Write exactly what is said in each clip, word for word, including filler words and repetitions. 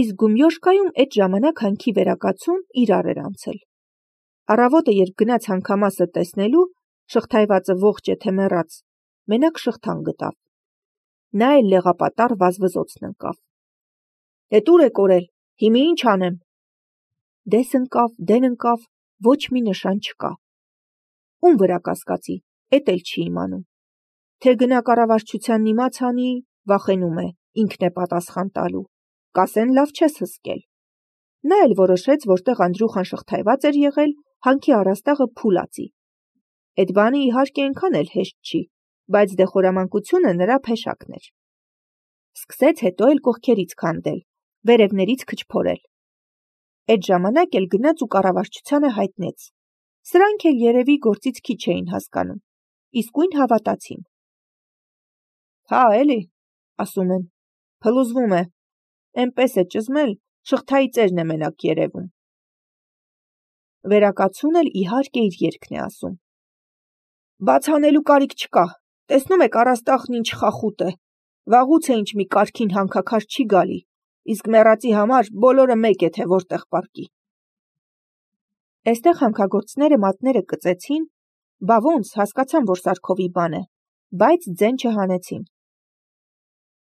Իսկ Գումյոշկայում այդ ժամանակ հանքի վերակացուն իրար էր անցել։ Առավոտը երբ գնաց հանքամասը տեսնելու, շղթայվածը ողջ է թե մեռած, մենակ շղթան գտավ։ Նա էլ լեղապատառ վազվզոցն ընկավ։ Էդ ուր է կորել, հիմի ինչ անեմ։ Դես ընկավ, դեն ընկավ, ոչ մի նշան չկա։ Ում վրա կասկածի, էդ էլ չի իմանում։ Թե գնա կառավարչությանն իմաց անի, վախենում է, ինքն է պատասխան տալու, կասեն լավ չես հսկել։ Նա էլ որոշեց, որտեղ Անդրուխան շղթայված էր եղել, հանքի առաստաղը փուլացի։ Այդ բանը իհարկե այնքան էլ հեշտ չի, բայց դե խորամանկությունը նրա փեշակն էր։ Սկսեց հետո էլ կողքերից քանդել, վերևներից քչփորել։ Այդ ժամանակ էլ գնաց ու կառավարչությանը հայտնեց։ Սրանք էլ երևի գործից քիչ էին հասկանում, իսկույն հավատացին։ Հա, էլի, ասում են, փլուզվում է, էնպես է ճզմել, շղթայի ծերն է մենակ երևում։ Վերակացուն էլ իհարկե իր երգն է ասում։ Բաց անելու կարիք չկա, տեսնում եք առաստաղն ինչ խախուտ է, վաղուց է ինչ մի կարգին հանքաքար չի գալի, իսկ մեռածի համար բոլորը մեկ է թե որտեղ պառկի։ Այստեղ հանքագործները մատները կծեցին, բա ոնց հասկացան, որ Սարքովի բան է, բայց ձեն չհանեցին։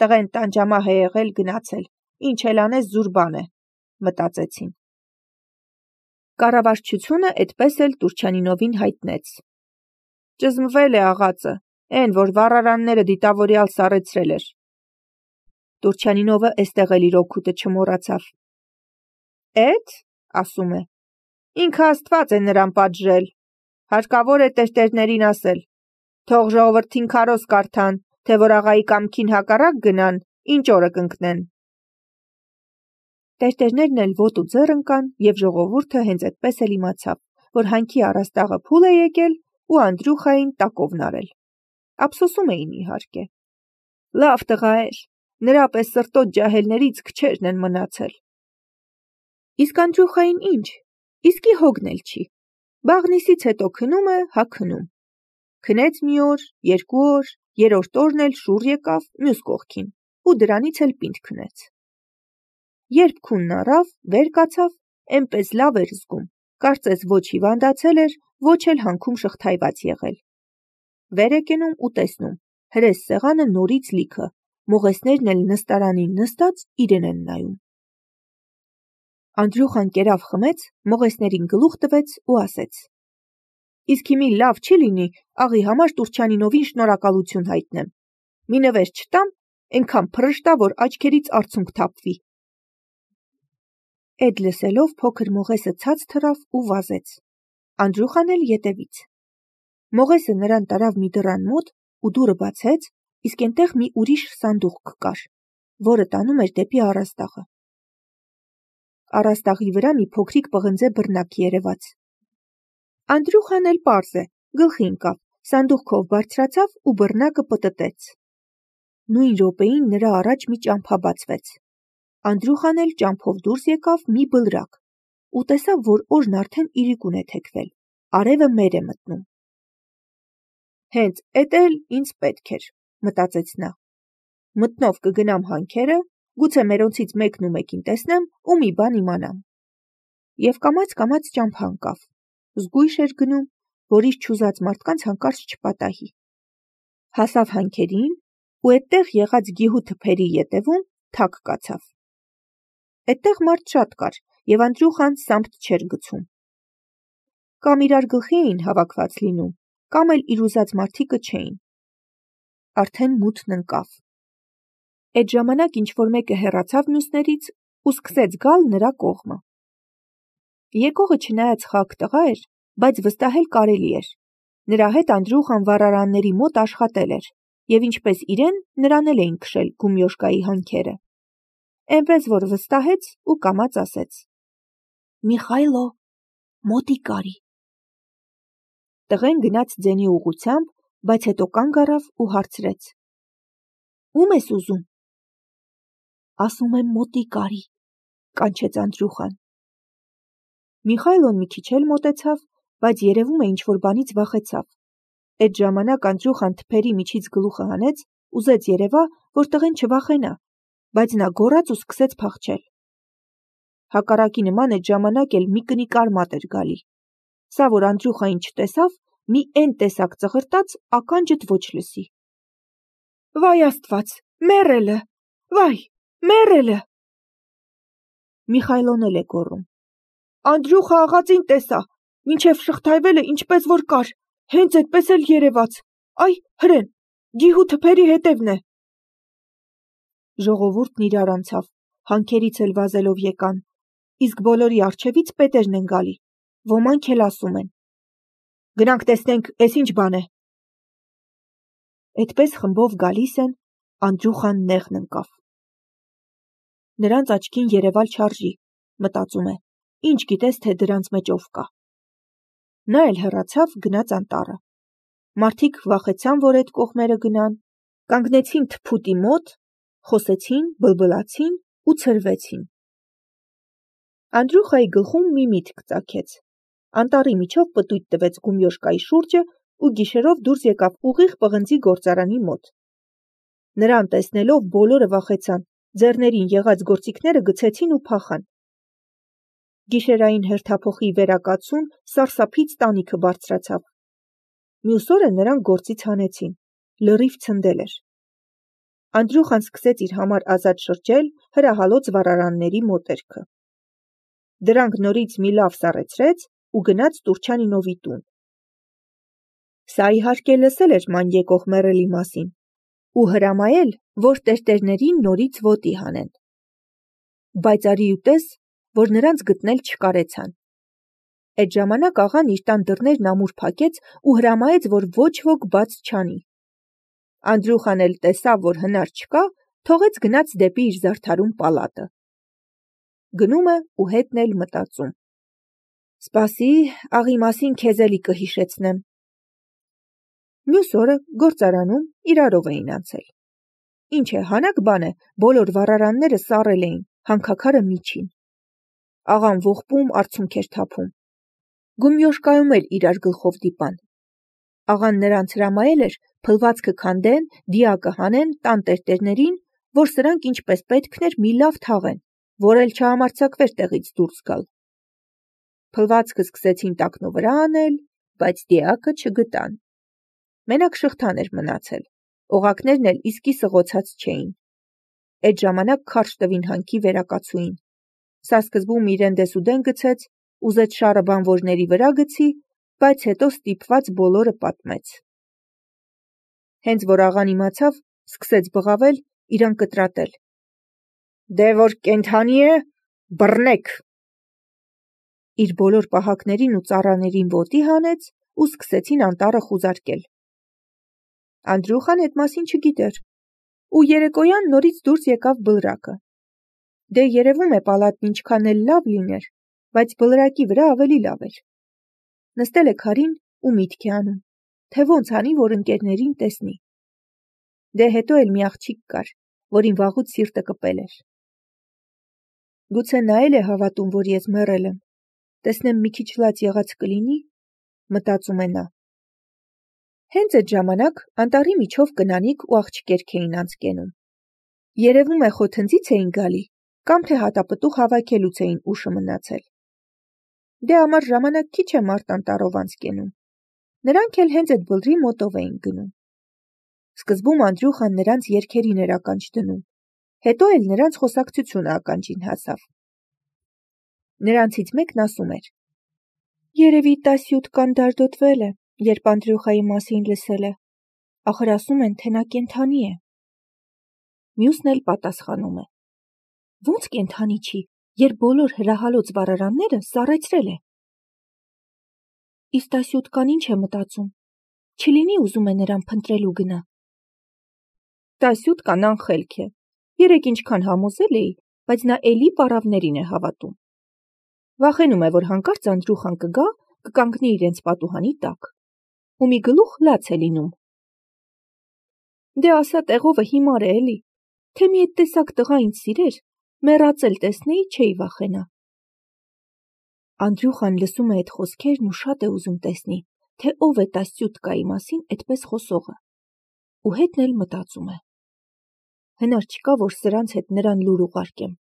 Տղեն տանջամահ է եղել գնացել, ինչ էլ անես զուր բան է, մտածեցին։ Կառավարչությունը այդպես էլ Տուրչյանինովին հայտնեց։ Ճզմվել է աղածը, էն որ վառարանները դիտավորյալ սառեցրել էր։ Տուրչյանինովը էստեղ էլ իր օգուտը չմոռացավ։ Էդ, ասում է, ինքը Աստված է նրան պատժել, հարկավոր է տերտերներին ասել, թող ժողովրդին քարոզ կարդան, թե որ աղայի կամքին հակառակ գնան, ինչ օրը կընկնեն։ Տերտերներն էլ ոտու ձեռ ընկան, և ժողովուրդը հենց այդպես էլ իմացավ, որ հանքի առաստաղը փուլ է եկել ու Անդրուխային տակովն արել։ Ափսոսում էին իհարկե։ Լավ տղա էր, նրա պես սրտոտ ջահելներից քչերն են մնացել։ Իսկ Անդրուխային ինչ, իսկի հոգն էլ չի, բաղնիսից հետո քնում է, հա քնում։ Քնեց մի օր, երկու օր, երրորդ օրն էլ շուռ եկավ մյուս կողքին ու դրանից էլ պինդ քնեց։ Երբ քունն առավ, վեր կացավ, էնպես լավ էր զգում, կարծես ոչ հիվանդացել էր, ոչ էլ հանքում շղթայված եղել։ Վեր է կենում ու տեսնում, հրես սեղանը նորից լիքը, մողեսներն էլ նստարանին նստած իրեն են նայում։ Անդրուխան կերավ խմեց, մողեսներին գլուխ տվեց ու ասեց. Իսկ հիմի լավ չի լինի աղի համար Տուրչյանինովին շնորհակալություն հայտնեմ։ Մի նվեր չտամ, այնքան փռշտա, որ աչքերից արցունք թափվի։ Էդ լսելով փոքր մողեսը ցած թռավ ու վազեց։ Անդրուխան էլ ետևից։ Մողեսը նրան տարավ մի դռան մոտ ու դուռը բացեց, իսկ այնտեղ մի ուրիշ սանդուղք կար, որը տանում էր դեպի առաստաղը։ Առաստաղի վրա մի փոքրիկ պղնձե բռնակ երևաց։ Անդրուխան էլ պարզ է, գլխի ընկավ, սանդուղքով բարձրացավ ու բռնակը պտտեց։ Նույն րոպեին նրա առաջ մի ճամփա բացվեց։ Անդրուխան էլ ճամփով դուրս եկավ մի բլրակ ու տեսավ, որ օրն արդեն իրիկուն է թեքվել, արևը մեր է մտնում։ Հենց էդ էլ ինձ պետք էր, մտածեց նա։ Մտնով կգնամ հանքերը, գուցե մերոնցից մեկն ու մեկին տեսնեմ ու մի բան իմանամ։ Եվ կամաց-կամաց ճամփա ընկավ, զգույշ էր գնում, որ իր չուզած մարդկանց հանկարծ չպատահի։ Հասավ հանքերին ու այդտեղ եղած գիհու թփերի ետևում թակ կացավ։ Այդտեղ մարդ շատ կար, և Անդրուխան սամպտ չէր գցում։ Կամ իրար գլխի էին հավաքված լինում, կամ էլ իր ուզած մարդիկը չէին։ Արդեն մութն ընկավ։ Այդ ժամանակ ինչ-որ մեկը հեռացավ մյուսներից ու սկսեց գալ նրա կողմը։ Եկողը չնայած խակ տղա էր, բայց վստահել կարելի էր։ Նրա հետ Անդրուխան վառարանների մոտ աշխատել էր, և ինչպես իրեն, նրան էլ էին քշել Գումյոշկայի հանքերը։ Էնպես որ վստահեց ու կամաց ասեց. Միխայլո, մոտիկ կարի։ Տղեն գնաց ձենի ուղղությամբ, բայց հետո կանգ առավ ու հարցրեց. Ո՞ւմ ես ուզում։ Ասում եմ մոտիկ կարի, կանչեց Անդրուխան։ Միխայլոն մի քիչ էլ մոտեցավ, բայց երևում է ինչ-որ բանից վախեցավ։ Այդ ժամանակ Անդրուխան թփերի միջից գլուխը հանեց, ուզեց երևա, որ տղեն չվախենա, բայց նա գոռաց ու սկսեց փախչել։ հակառակի նման այդ ժամանակ էլ մի կնիկ արմատ էր գալի։ Սա, որ Անդրյուխային չտեսավ, մի էն տեսակ ծղրտաց ականջդ ոչ լսի։ Վայ աստված, մեռելը, վայ, մեռելը։ Միխայլոն էլ է գոռում. Անդրյուխը աղածին տեսա, մինչև շղթայվելը ինչպես որ կար, հենց այդպես էլ երևաց, այ հրեն, գիհու թփերի հետևն է։ Ժողովուրդն իրար անցավ, հանքերից էլ վազելով եկան, իսկ բոլորի առջևից պետերն են գալի, ոմանք էլ ասում են. Գնանք տեսնենք, էս ինչ բան է։ Այդպես խմբով գալիս են, Անդրյուխան նեղն ընկավ։ Նրանց աչքին երևալ չարժի, մտածում է, ինչ գիտես, թե դրանց մեջ ով կա։ Նա էլ հեռացավ, գնաց անտառը։ Մարդիկ վախեցան, որ այդ կողմերը գնան, կանգնեցին թփուտի մոտ, խոսեցին, բլբլացին ու ցրվեցին։ Անդրյուխայի գլխում մի միտք ծագեց։ Անտառի միջով պտույտ տվեց Գումյոշկայի շուրջը ու գիշերով դուրս եկավ ուղիղ պղնձի գործարանի մոտ։ Նրան տեսնելով բոլորը վախեցան, ձեռներին եղած գործիքները գցեցին ու փախան։ Գիշերային հերթափոխի վերակացուն սարսափից տանիքը բարձրացավ։ Մյուս օրը նրան գործից հանեցին, լրիվ ցնդել էր։ Անդրյուխան սկսեց իր համար ազատ շրջել հրահալոց վառարանների մոտերքը։ Դրանք նորից մի լավ սառեցրեց ու գնաց Տուրջանինովի տուն։ Սա իհարկե լսել էր ման եկող մեռելի մասին ու հրամայել, որ տերտերներին նորից ոտի հանեն։ Բայց արի ուտես, որ նրանց գտնել չկարեցան։ Այդ ժամանակ աղան իր տան դռներն ամուր փակեց ու հրամայեց, որ ոչ ոք բաց չանի։ Անդրյուխան էլ տեսավ, որ հնար չկա, թողեց գնաց դեպի իր զարդարուն պալատը։ Գնում է ու հետն էլ մտածում. Սպասի, աղի մասին քեզ էլի կհիշեցնեմ։ Մյուս օրը գործարանում իրարով էին անցել։ Ինչ է, հանակ բան է, բոլոր վառարանները սառել էին, հանքաքարը միջին։ Աղան ողբում արցունք էր թափում։ Գումյոշկայում էլ իրար գլխով դիպան։ Աղան նրանց հրամայել էր փլվածքը քանդեն, դիակը հանեն, տան տերտերներին, որ սրանք ինչպես պետքն էր մի լավ թաղեն, որ էլ չհամարձակվեր տեղից դուրս գալ։ Փլվածքը սկսեցին տակնու վրա անել, բայց դիակը չգտան։ Մենակ շղթան էր մնացել, օղակներն էլ իսկի սղոցած չէին։ Այդ ժամանակ քարշ տվին հանքի վերակացուին։ Սա սկզբում իրեն դեսուդեն գցեց, ուզեց շարը բանվորների վրա գցի, բայց հետո ստիպված բոլորը պատմեց։ Հենց որ աղան իմացավ, սկսեց բղավել, իրան կտրատել։ Դե որ կենդանի է, բռնեք։ Իր բոլոր պահակներին ու ծառաներին ոտի հանեց ու սկսեցին անտառը խուզարկել։ Անդրյուխան այդ մասին չգիտեր, ու երեկոյան նորից դուրս եկավ բլրակը։ Դե երևում է պալատն ինչքան էլ լավ լիներ, բայց բլրակի վրա ավելի լավ էր։ Նստել է քարին ու միտք է անում, թե ոնց անի, որ ընկերներին տեսնի։ Դե հետո էլ մի աղջիկ կար, որին վաղուց սիրտը կպել էր։ Գուցե նա էլ է հավատում, որ ես մեռել եմ, տեսնեմ մի քիչ լաց եղած կլինի, մտածում է նա։ Հենց այդ ժամանակ անտառի միջով կնանիկ ու աղջիկերք էին անցկենում։ Երևում է խոթնձից էին գալի, կամ թե հատապտուղ հավաքելուց էին ուշը մնացել։ Դե ամառ ժամանակ քիչ է մարդ անտառով անցկենում։ Նրանք էլ հենց այդ բլրի մոտով էին գնում։ Սկզբում Անդրյուխան նրանց երգերին էր ականջ դնում, հետո էլ նրանց խոսակցությունը ականջին հասավ։ Նրանցից մեկն ասում էր. Երևի տասյոթ կան դարդոտվել է, երբ Անդրյուխայի մասին լսել է, ախր ասում են, թե նա կենդանի է։ Մյուսն էլ պատասխանում է. Ոնց կենդանի չի, երբ բոլոր հրահալոց վառարանները սառեցրել է։ Իսկ տասյոթ կան ինչ է մտածում, չլինի ուզում է նրան փնտրելու գնա։ Տասյոթ կան անխելք է, երեք ինչքան համոզել էի, բայց նա էլի պառավներին է հավատում։ Վախենում է, որ հանկարծ Անդրյուխան կգա, կկանգնի իրենց պատուհանի տակ, ու մի գլուխ լաց է լինում։ Դե ասա տեղովը հիմար է էլի, թե մի այդ տեսակ տղա ինձ սիրեր, մեռածել տեսնեի, չէի վախենա։ Անդրյուխան լսում է այդ խոսքերն ու շատ է ուզում տեսնի, թե ով է տասյոթկայի մասին այդպես խոսողը, ու հետն էլ մտածում է. հնար չկա, որ սրանց հետ նրան լուր ուղարկեմ։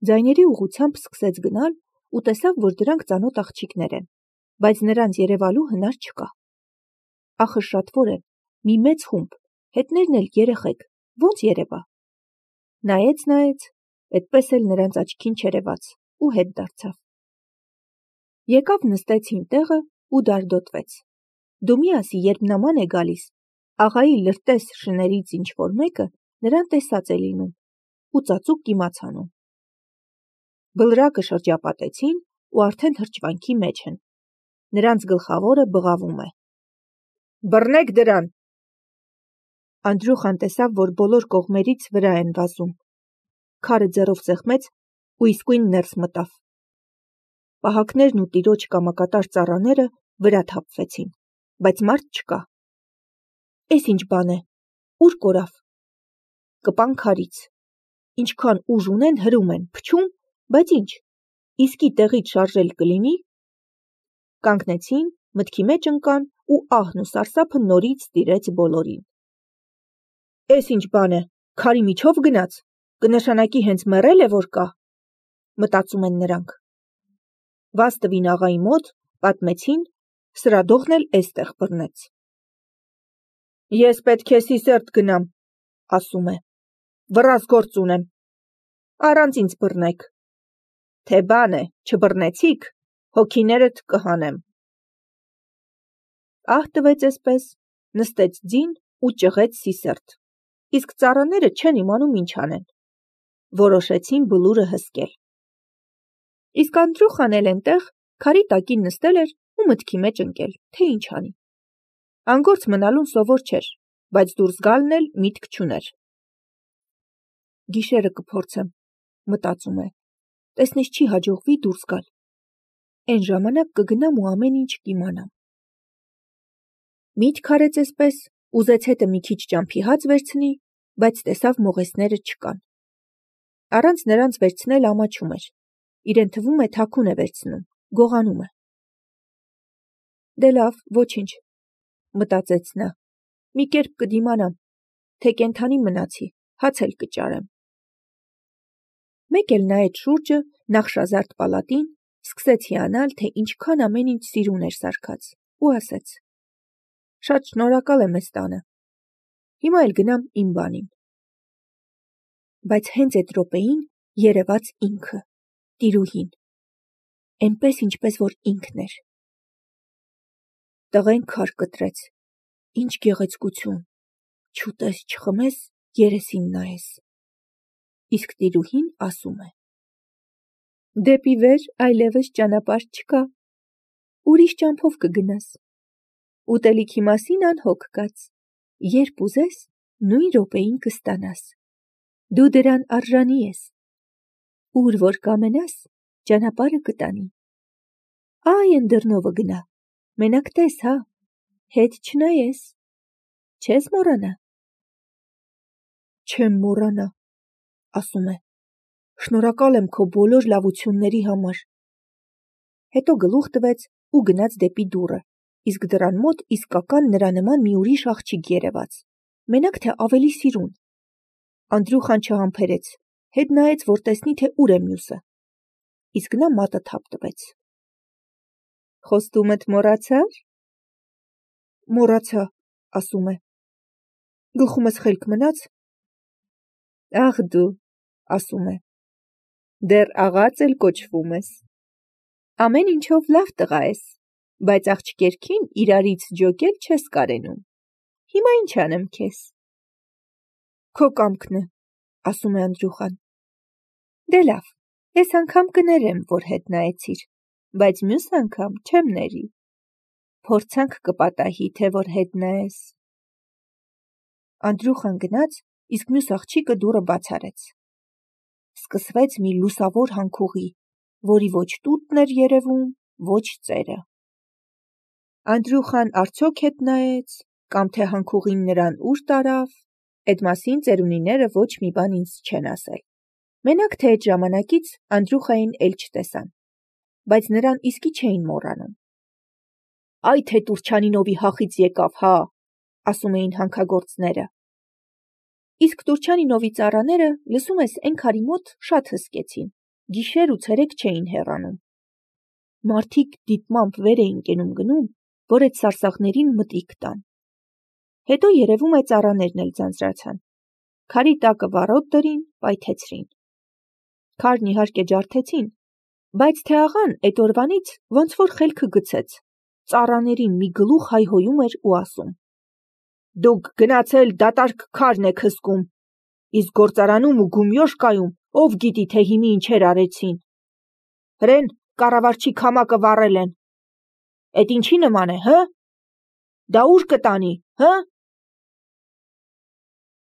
Ձայների ուղղությամբ սկսեց գնալ ու տեսավ, որ դրանք ծանոթ աղջիկներ են, բայց նրանց երևալու հնար չկա։ Ախր շատ որ են, մի մեծ խումբ, հետներն էլ երեխեք, ոնց երևա։ Նայեց-նայեց, այդպես էլ նրանց աչքին չերևաց ու հետ դարձավ։ Եկավ նստեցին տեղը ու դարդոտվեց։ Դու մի ասի, երբ նման է գալիս, աղայի լրտես շներից ինչ-որ մեկը նրան տեսած է լինում ու ծածուկ իմացանում։ Բլրակը շրջապատեցին ու արդեն հրճվանքի մեջ են։ Նրանց գլխավորը բղավում է։ Բռնեք դրան։ Անդրուխան տեսավ, որ բոլոր կողմերից վրա են վազում։ Քարը ձեռով սեղմեց ու իսկույն ներս մտավ։ Պահակներն ու տիրոջ կամակատար ծառաները վրա թափվեցին, բայց մարդ չկա։ Էս ինչ բան է, ուր կորավ։ Կպան քարից։ Ինչքան ուժ ունեն հրում են, փչում, բայց ինչ, իսկի տեղից շարժել կլինի։ Կանգնեցին, մտքի մեջ ընկան ու ահն ու սարսափը նորից տիրեց բոլորին։ Էս ինչ բան է, քարի միջով գնաց, կնշանակի հենց մեռել է որ կա, մտածում են նրանք։ Վազ տվին աղայի մոտ, պատմեցին, սրադողն էլ էստեղ բռնեց։ Ես պետք է Սիսերտ գնամ, ասում է, վռազ գործ ունեմ, առանց ինձ բռնեք, թե բան է, չբռնեցիք, հոգիներդ կհանեմ։ Ահ տվեց էսպես, նստեց ձին ու ճղեց Սիսերտ, իսկ ծառաները չեն իմանում ինչ անեն, որոշեցին բլուրը հսկել։ Իսկ Անդրուխան էլ էնտեղ քարի տակին նստել էր ու մտքի մեջ ընկել, թե ինչ անի։ Անգործ մնալուն սովոր չէր, բայց դուրս գալն էլ միտք չուներ։ Գիշերը կփորձեմ, մտածում է, տեսնես չի հաջողվի դուրս գալ։ Էն ժամանակ կգնամ ու ամեն ինչ կիմանամ։ Միտք արեց էսպես, ուզեց հետը մի քիչ ճամփի հաց վերցնի, բայց տեսավ մողեսները չկան։ Առանց նրանց վերցնել ամաչում էր, իրեն թվում է թաքուն է վերցնում, գողանում է։ Դե լավ, ոչինչ, մտածեց նա, մի կերպ կդիմանամ, թե կենդանի մնացի, հաց էլ կճարեմ։ Մեկ էլ նայեց շուրջը, նախշազարդ պալատին, սկսեց հիանալ, թե ինչքան ամեն ինչ սիրուն էր սարքած, ու ասեց. Շատ շնորհակալ եմ էս տանը, հիմա էլ գնամ իմ բանին։ Բայց հենց այդ րոպեին երևաց ինքը, տիրուհին, էնպես ինչպես որ ինքն էր։ Տղեն քար կտրեց, ինչ գեղեցկություն, չուտես չխմես, երեսին նայես։ Իսկ տիրուհին ասում է. Դեպի վեր այլևս ճանապարհ չկա, ուրիշ ճամփով կգնաս։ Ուտելիքի մասին անհոգ կաց, երբ ուզես, նույն րոպեին կստանաս։ Դու դրան արժանի ես։ Ուր որ կամենաս, ճանապարհը կտանի։ Այ են դռնովը գնա, մենակ տես, հա, հետ չնայես, չես մոռանա։ Չեմ մոռանա, ասում է, շնորհակալ եմ քո բոլոր լավությունների համար։ Հետո գլուխ տվեց ու գնաց դեպի դուռը, իսկ դռան մոտ իսկական նրա նման մի ուրիշ աղջիկ երևաց, մենակ թե ավելի սիրուն։ Անդրուխան չհամբերեց, հետ նայեց, որ տեսնի, թե ուր է մյուսը, իսկ նա մատը թափ տվեց։ Խոստումդ մոռացա՞ր։ Մոռացա, ասում է։ Գլխումս խելք մնաց։ Ախ դու, ասում է, դեռ աղաց էլ կոչվում ես։ Ամեն ինչով լավ տղա ես, բայց աղջկերքին իրարից ջոկել չես կարենում։ Հիմա ինչ անեմ քեզ։ Քո կամքն է, ասում է Անդրուխան։ Դե լավ, ես անգամ կներեմ, որ հետ նայեցիր, բայց մյուս անգամ չեմ ների։ Փորձանք կպատահի, թե որ հետ նայես։ Անդրուխան գնաց, իսկ մյուս աղջիկը դուռը բաց արեց։ Սկսվեց մի լուսավոր հանքուղի, որի ոչ տուտն էր երևում, ոչ ծերը։ Անդրուխան արդյոք հետ նայեց, կամ թե հանքուղին նրան ուր տարավ, այդ մասին ծերունիները ոչ մի բան ինձ չեն ասել։ Մենակ թե այդ ժամանակից Անդրուխային էլ չտեսան, բայց նրան իսկի չէին մոռանում։ Այ թե Տուրչանինովի հախից եկավ, հա, ասում էին հանքագործները։ Իսկ Տուրչանինովի ծառաները, լսում ես, էն քարի մոտ շատ հսկեցին, Գիշեր ու ցերեկ չէին հեռանում։ Մարդիկ դիտմամբ վեր էին կենում գնում, որ այդ սարսափներին մտիկ տան։ Հետո երևում է ծառաներն էլ ձանձրացան։ Քարի տակը վառոդ դրին, պայթեցրին։ Քարն իհարկե ջարդեցին, բայց թե աղան այդ օրվանից ոնց որ խելքը գցեց, ծառաներին մի գլուխ հայհոյում էր ու ասում. «Դուք գնացել դատարկ քարն եք հսկում, իսկ գործարանում ու գումյոշկայում ով գիտի թե հիմի ինչեր արեցին։ Հրեն կառավարչի քամակը վառել են։ Էդ ինչի նման է, հը՞։ Դա ուր կտանի, հը»։